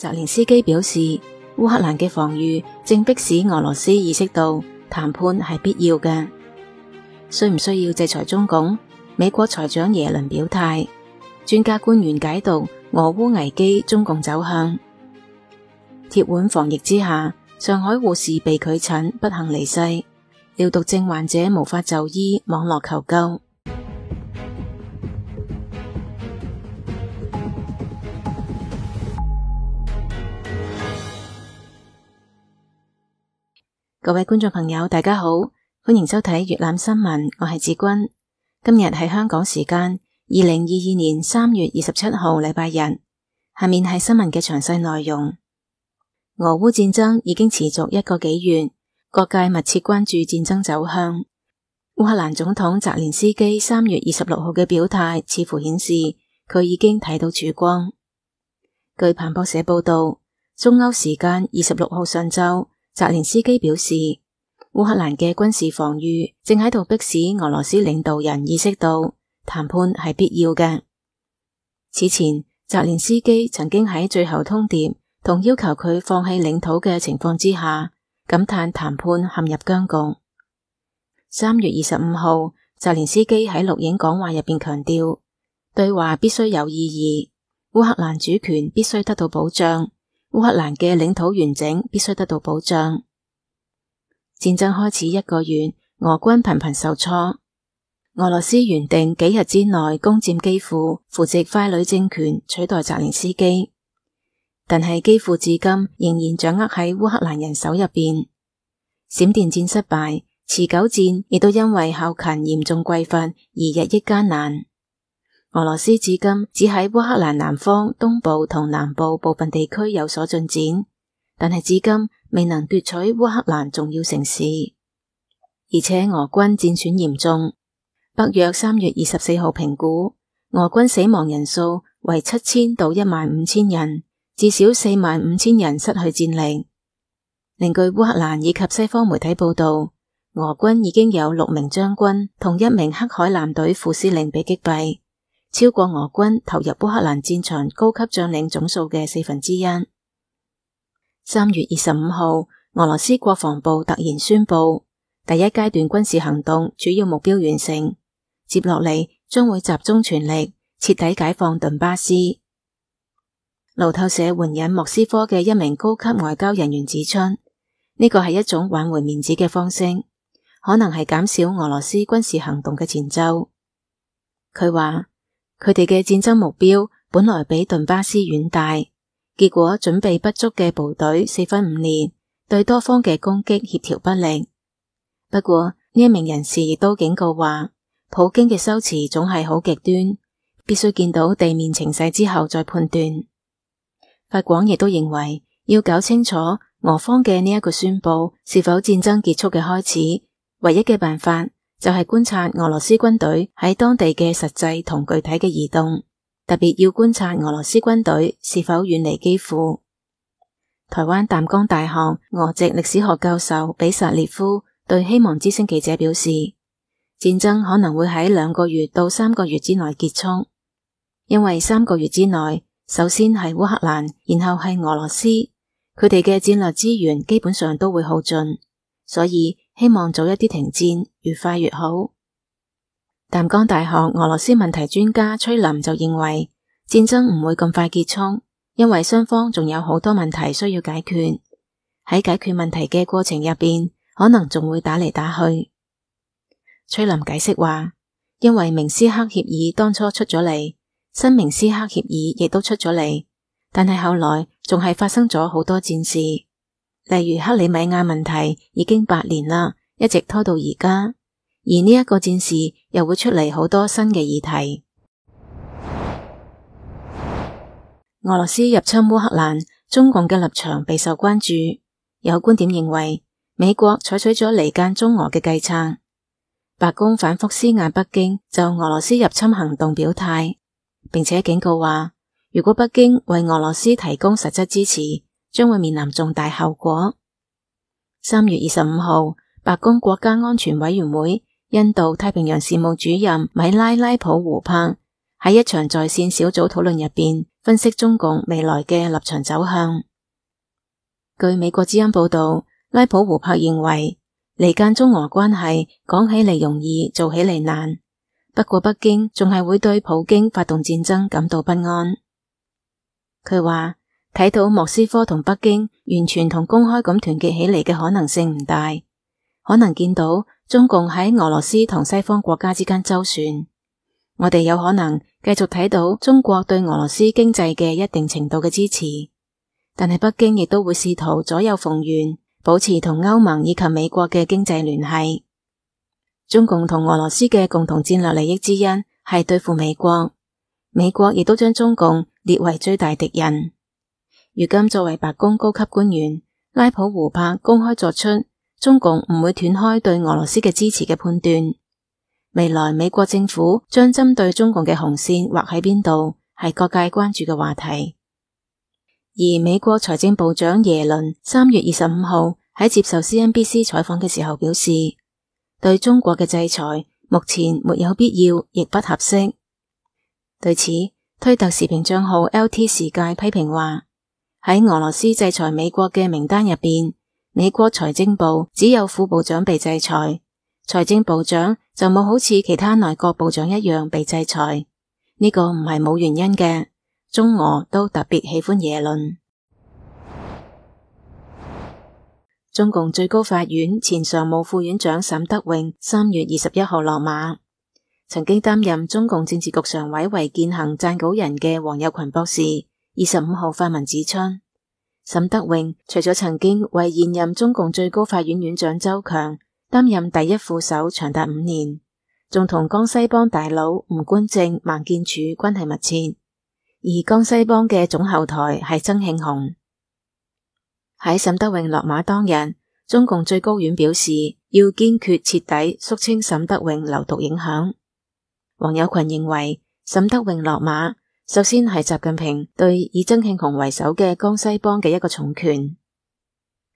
澤連斯基表示，烏克蘭嘅防禦正迫使俄羅斯意識到談判係必要嘅。需唔需要制裁中共？美國財長耶倫表態，專家官員解讀俄烏危機中共走向。鐵腕防疫之下，上海護士被拒診，不幸離世。尿毒症患者無法就醫，網絡求救。各位觀眾朋友，大家好，歡迎收睇粵覽新聞，我係志君。今日係香港時間2022年3月27號禮拜日。下面係新聞嘅詳細內容。俄烏戰爭已經持續1個幾月，各界密切關注戰爭走向。烏克蘭總統澤連斯基3月26號嘅表態似乎顯示佢已經睇到曙光。據彭博社報道，中歐時間26號上晝，澤連斯基表示，烏克蘭嘅軍事防禦正喺度迫使俄羅斯領導人意識到談判係必要嘅。此前，澤連斯基曾經喺最後通牒同要求佢放棄領土嘅情況之下，感嘆談判陷入僵局。3月25號，澤連斯基喺錄影講話入邊強調，對話必須有意義，烏克蘭主權必須得到保障。烏克蘭嘅領土完整必須得到保障。戰爭開始1個月，俄軍頻頻受挫。俄羅斯原定幾日之內攻佔基輔，扶植傀儡政權，取代澤連斯基，但係基輔至今仍然掌握喺烏克蘭人手入邊。閃電戰失敗，持久戰亦都因為後勤嚴重匱乏而日益艱難。俄羅斯至今只喺烏克蘭南方、東部同南部部分地區有所進展，但係至今未能奪取烏克蘭重要城市，而且俄軍戰損嚴重。北約3月24號評估，俄軍死亡人數為7000到15000人，至少45000人失去戰力。另據烏克蘭以及西方媒體報道，俄軍已經有6名將軍同1名黑海艦隊副司令被擊斃，超過俄軍投入烏克蘭戰場高級將領總數嘅1/4。3月25號，俄羅斯國防部突然宣布，第一階段軍事行動主要目標完成，接落嚟將會集中全力徹底解放頓巴斯。路透社援引莫斯科嘅1名高級外交人員指出，呢個係一種挽回面子嘅方式，可能係減少俄羅斯軍事行動嘅前奏。佢話，佢哋嘅戰爭目標本來比頓巴斯遠大，結果準備不足嘅部隊4分5裂，對多方嘅攻擊協調不力。不過呢一名人士亦都警告話，普京嘅修辭總係好極端，必須見到地面情勢之後再判斷。法廣亦都認為，要搞清楚俄方嘅呢一個宣佈是否戰爭結束嘅開始，唯一嘅辦法就係觀察俄羅斯軍隊喺當地嘅實際同具體嘅移動，特別要觀察俄羅斯軍隊是否遠離基輔。台灣淡江大學俄籍歷史學教授比薩列夫對希望之聲記者表示，戰爭可能會喺2個月到3個月之內結束，因為3個月之內，首先係烏克蘭，然後係俄羅斯，佢哋嘅戰略資源基本上都會耗盡，所以希望早一啲停戰，越快越好。淡江大學俄羅斯問題專家崔林就認為，戰爭唔會咁快結束，因為雙方仲有好多問題需要解決，喺解決問題嘅過程入邊，可能仲會打嚟打去。崔林解釋話，因為明斯克協議當初出咗嚟，新明斯克協議亦都出咗嚟，但係後來仲係發生咗好多戰事，例如克里米亞問題已經8年啦，一直拖到而家，而呢一個戰事又會出嚟好多新嘅議題。俄羅斯入侵烏克蘭，中共嘅立場備受關注，有觀點認為美國採取咗離間中俄嘅計策。白宮反覆施壓北京就俄羅斯入侵行動表態，並且警告話，如果北京為俄羅斯提供實質支持，將會面臨重大後果。3月25號，白宮國家安全委員會印度太平洋事務主任米拉拉普胡柏喺一場在線小組討論入邊，分析中共未來嘅立場走向。據美國之音報道，拉普胡柏認為離間中俄關係講起嚟容易，做起嚟難。不過北京仲係會對普京發動戰爭感到不安。佢話睇到莫斯科同北京完全同公開咁團結起嚟嘅可能性唔大，可能見到中共喺俄羅斯同西方國家之間周旋。我哋有可能繼續睇到中國對俄羅斯經濟嘅一定程度嘅支持，但係北京亦都會試圖左右逢源，保持同歐盟以及美國嘅經濟聯繫。中共同俄羅斯嘅共同戰略利益之一係對付美國，美國亦都將中共列為最大敵人。如今作為白宮高級官員，拉普胡柏公開作出中共唔會斷開對俄羅斯嘅支持嘅判斷。未來美國政府將針對中共嘅紅線劃喺邊度，係各界關注嘅話題。而美國財政部長耶倫3月25號喺接受 CNBC 採訪嘅時候表示，對中國嘅制裁目前沒有必要，亦不合適。對此，推特時評賬號 LT 時界批評話，喺俄羅斯制裁美國嘅名單入邊，美國財政部只有副部長被制裁，財政部長就冇好似其他內閣部長一樣被制裁。呢個唔係冇原因嘅，中俄都特別喜歡耶倫。中共最高法院前常務副院長沈德榮3月21號落馬。曾經擔任中共政治局常委為健行撰稿人嘅王友群博士25號發文指出，沈德榮除咗曾經為現任中共最高法院院長周強擔任第一副手長達5年，仲同江西幫大佬吳官正、孟建柱關係密切，而江西幫嘅總後台係曾慶紅。喺沈德榮落馬當日，中共最高院表示要堅決徹底肅清沈德榮流毒影響。王友群認為沈德榮落馬，首先係習近平對以曾慶紅為首嘅江西幫嘅一個重拳。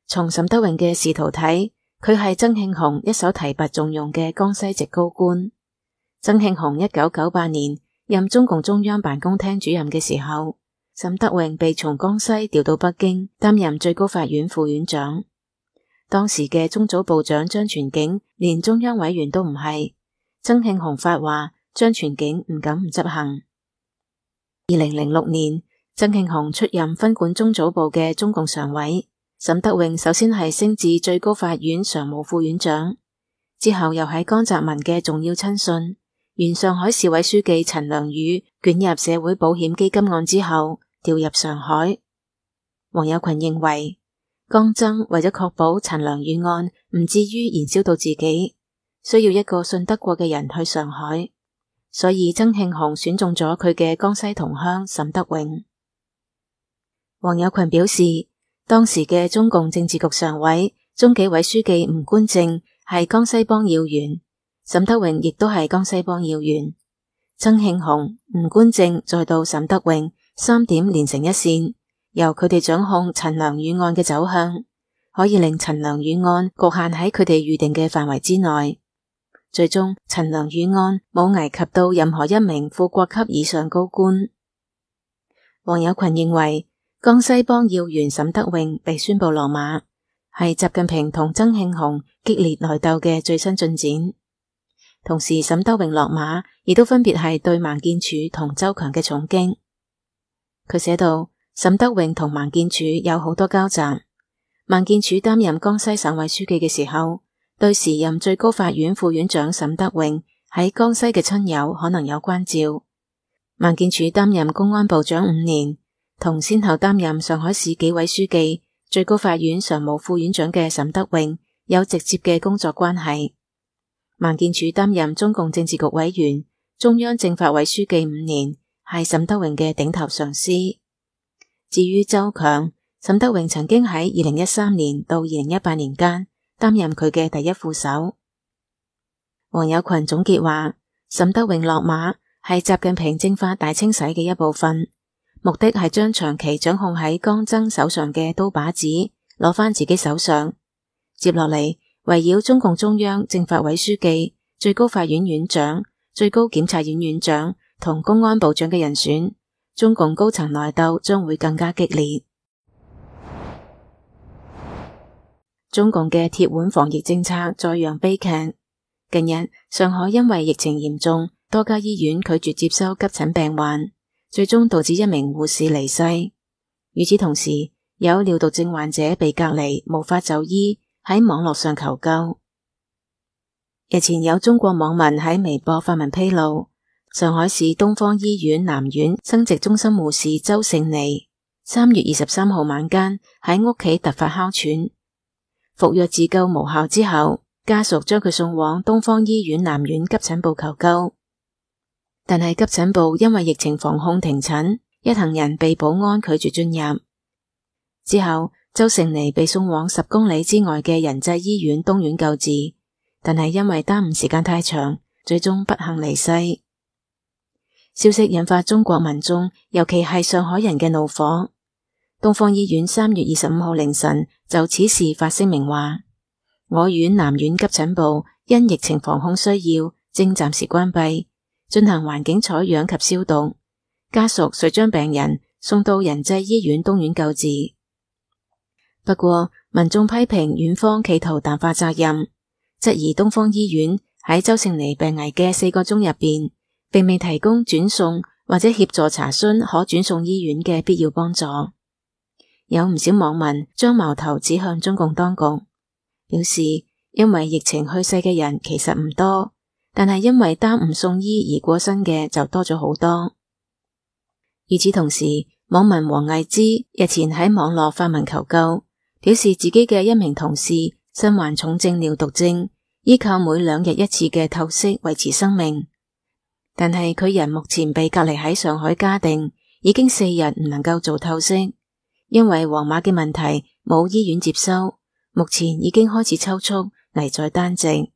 從沈德榮嘅仕途睇，佢係曾慶紅一手提拔重用嘅江西籍高官。曾慶紅1998年任中共中央辦公廳主任嘅時候，沈德榮被從江西調到北京擔任最高法院副院長。當時嘅中組部長張傳景連中央委員都唔係，曾慶紅發話，張傳景唔敢唔執行。2006年，曾慶紅出任分管中組部嘅中共常委，沈德榮首先係升至最高法院常務副院長，之後又喺江澤民嘅重要親信、原上海市委書記陳良宇捲入社會保險基金案之後調入上海。王友群認為，江曾為咗確保陳良宇案唔至於燃燒到自己，需要一個信得過嘅人去上海，所以曾慶紅選中咗佢嘅江西同鄉沈德榮。王友群表示，當時嘅中共政治局常委、中紀委書記吳官正係江西幫要員，沈德榮亦都係江西幫要員。曾慶紅、吳官正再到沈德榮，3點連成一線，由佢哋掌控陳良宇案嘅走向，可以令陳良宇案局限喺佢哋預定嘅範圍之內。最終，陳良宇案冇危及到任何一名副國級以上高官。王友群認為，江西幫要員沈德榮被宣布落馬，係習近平同曾慶紅激烈內鬥嘅最新進展。同時，沈德榮落馬亦都分別係對孟建柱同周強嘅重擊。佢寫道，沈德榮同孟建柱有好多交集。孟建柱擔任江西省委書記嘅時候，對時任最高法院副院長沈德榮喺江西嘅親友可能有關照。孟建柱擔任公安部長5年，同先後擔任上海市紀委書記、最高法院常務副院長嘅沈德榮有直接嘅工作關係。孟建柱擔任中共政治局委員、中央政法委書記5年，係沈德榮嘅頂頭上司。至於周強，沈德榮曾經喺2013年到2018年間擔任佢嘅第一副手。王友群總結話，沈德榮落馬係習近平政法大清洗嘅一部分，目的係將長期掌控喺江曾手上嘅刀把子攞返自己手上。接落嚟，圍繞中共中央政法委書記、最高法院院長、最高檢察院院長同公安部長嘅人選，中共高層內鬥將會更加激烈。中共嘅鐵腕防疫政策再揚悲劇。近日，上海因為疫情嚴重，多家醫院拒絕接收急診病患，最終導致一名護士離世。與此同時，有尿毒症患者被隔離，無法就醫，喺網絡上求救。日前有中國網民喺微博發文披露，上海市東方醫院南院生殖中心護士周勝妮3月23號晚間喺屋企突發哮喘，服藥自救無效之後，家屬將佢送往東方醫院南院急診部求救，但係急診部因為疫情防控停診，一行人被保安拒絕進入。之後，周勝妮被送往10公里之外嘅仁濟醫院東院救治，但係因為耽誤時間太長，最終不幸離世。消息引發中國民眾，尤其係上海人嘅怒火。東方醫院3月25號凌晨就此事發聲明話，我院南院急診部因疫情防控需要，正暫時關閉，進行環境採樣及消毒。家屬遂將病人送到仁濟醫院東院救治。不過，民眾批評院方企圖淡化責任，質疑東方醫院喺周勝妮病危嘅4個鐘入邊，並未提供轉送或者協助查詢可轉送醫院嘅必要幫助。有唔少網民將矛頭指向中共當局，表示因為疫情去世嘅人其實唔多，但係因為耽誤送醫而過身嘅就多咗好多。與此同時，網民黃毅之日前喺網絡發文求救，表示自己嘅一名同事身患重症尿毒症，依靠每2日1次嘅透析維持生命，但係佢人目前被隔離喺上海嘉定，已經4日唔能夠做透析，因為黃碼嘅問題冇醫院接收，目前已經開始抽搐，危在旦夕。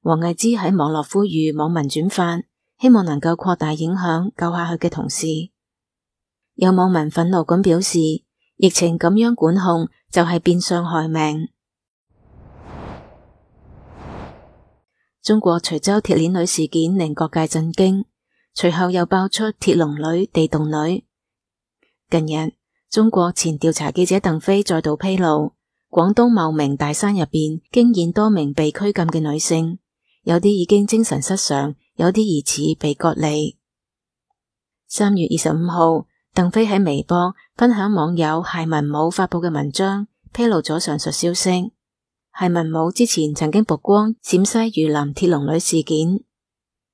黃毅之喺網絡呼籲網民轉發，希望能夠擴大影響，救下佢嘅同事。有網民憤怒咁表示，疫情咁樣管控就係變相害命。中國徐州鐵鏈女事件令各界震驚，隨後又爆出鐵籠女、地洞女。近日，中國前調查記者鄧飛再度披露，廣東茂名大山入邊驚現多名被拘禁嘅女性，有啲已經精神失常，有啲疑似被割離。3月25號，鄧飛喺微博分享網友謝文武發佈嘅文章，披露咗上述消息。謝文武之前曾經曝光陝西榆林鐵籠女事件。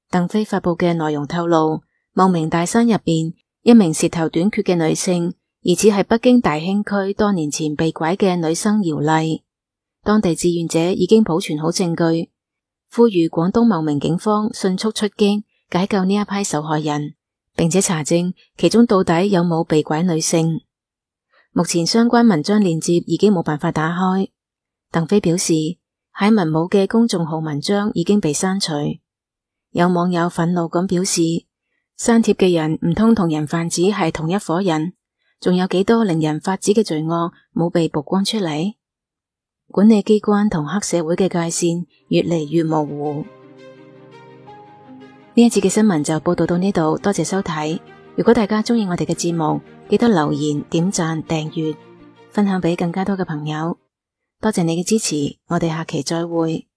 鄧飛發佈嘅內容透露，茂名大山入邊一名舌頭短缺嘅女性，疑似係北京大興區多年前被拐嘅女生姚麗。當地志願者已經保存好證據，呼籲廣東茂名警方迅速出擊，解救呢一批受害人，並且查證其中到底有冇被拐女性。目前相關文章鏈接已經冇辦法打開。鄧飛表示，謝文武嘅公眾號文章已經被刪除。有網友憤怒咁表示，刪帖嘅人唔通同人販子係同一夥人？仲有幾多令人髮指嘅罪惡冇被曝光出嚟？管理機關同黑社會嘅界線越嚟越模糊。呢一節嘅新聞就報道到呢度，多謝收睇。如果大家鍾意我哋嘅節目，記得留言、點讚、訂閱、分享俾更加多嘅朋友。多謝你嘅支持，我哋下期再會。